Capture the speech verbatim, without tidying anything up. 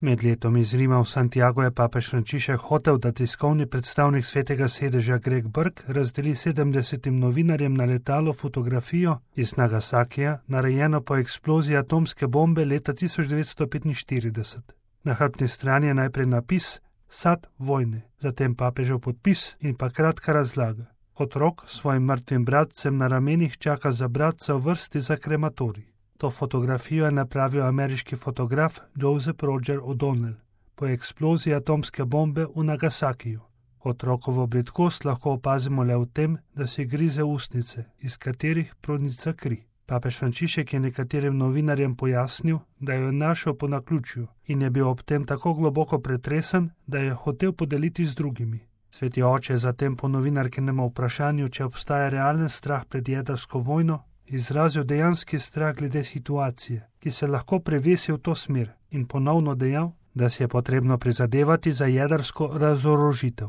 Med letom iz Rima v Santiago je papež Frančišek hotel, da tiskovni predstavnik Svetega sedeža Greg Burke razdeli sedemdesetim novinarjem na letalo fotografijo iz Nagasakija, narejeno po eksploziji atomske bombe leta tisoč devetsto petinštirideset. Na hrbtni strani je najprej napis Sad vojne, zatem papežev podpis in pa kratka razlaga. Otrok svojim mrtvim bratcem na ramenih čaka za bratca v vrsti za krematorij. To fotografijo je napravil ameriški fotograf Joseph Roger O'Donnell po eksploziji atomske bombe v Nagasakiju. Otrokovo bridkost lahko opazimo le v tem, da si grize ustnice, iz katerih pronica kri. Papež Frančišek je nekaterim novinarjem pojasnil, da jo je našel po naključju in je bil ob tem tako globoko pretresen, da je hotel podeliti z drugimi. Sveti oče je zatem po novinarkinem vprašanju, če obstaja realen strah pred jedrsko vojno, izrazil dejanski strah glede situacije, ki se lahko prevesi v to smer, in ponovno dejal, da si je potrebno prizadevati za jedrsko razorožitev.